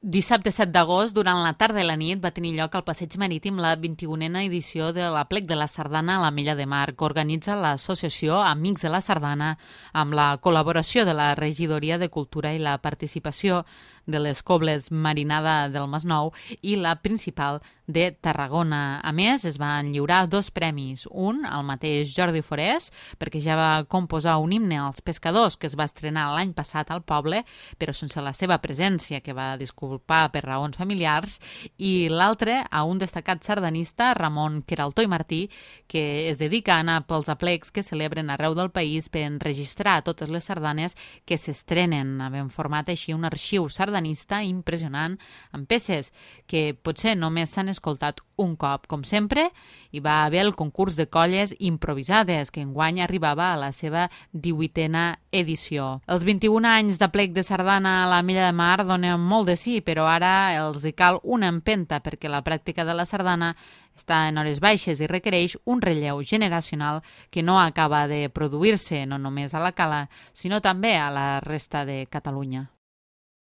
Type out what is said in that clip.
Dissabte 7 d'agost, durant la tarda i la nit, va tenir lloc al Passeig Marítim la 21a edició de l'Aplec de la Sardana a la Mella de Mar, que organitza l'associació Amics de la Sardana amb la col·laboració de la Regidoria de Cultura i la participació de les Cobles Marinada del Masnou i la Principal de Tarragona. A més, es van lliurar 2 premis. Un, al mateix Jordi Forés, perquè ja va composar un himne als pescadors que es va estrenar l'any passat al poble, però sense la seva presència, que va disculpar per raons familiars, i l'altre a un destacat sardanista, Ramon Queraltó i Martí, que es dedica a anar pels aplecs que celebren arreu del país per enregistrar totes les sardanes que s'estrenen, havent format així un arxiu sardanista impressionant, amb peces que potser només s'han escoltat un cop. Com sempre, hi va haver el concurs de colles improvisades, que enguany arribava a la seva 18a edició. Els 21 anys d'aplec de sardana a la Mella de Mar donen molt de sí, però ara els hi cal una empenta perquè la pràctica de la sardana està en hores baixes i requereix un relleu generacional que no acaba de produir-se no només a la Cala, sinó també a la resta de Catalunya.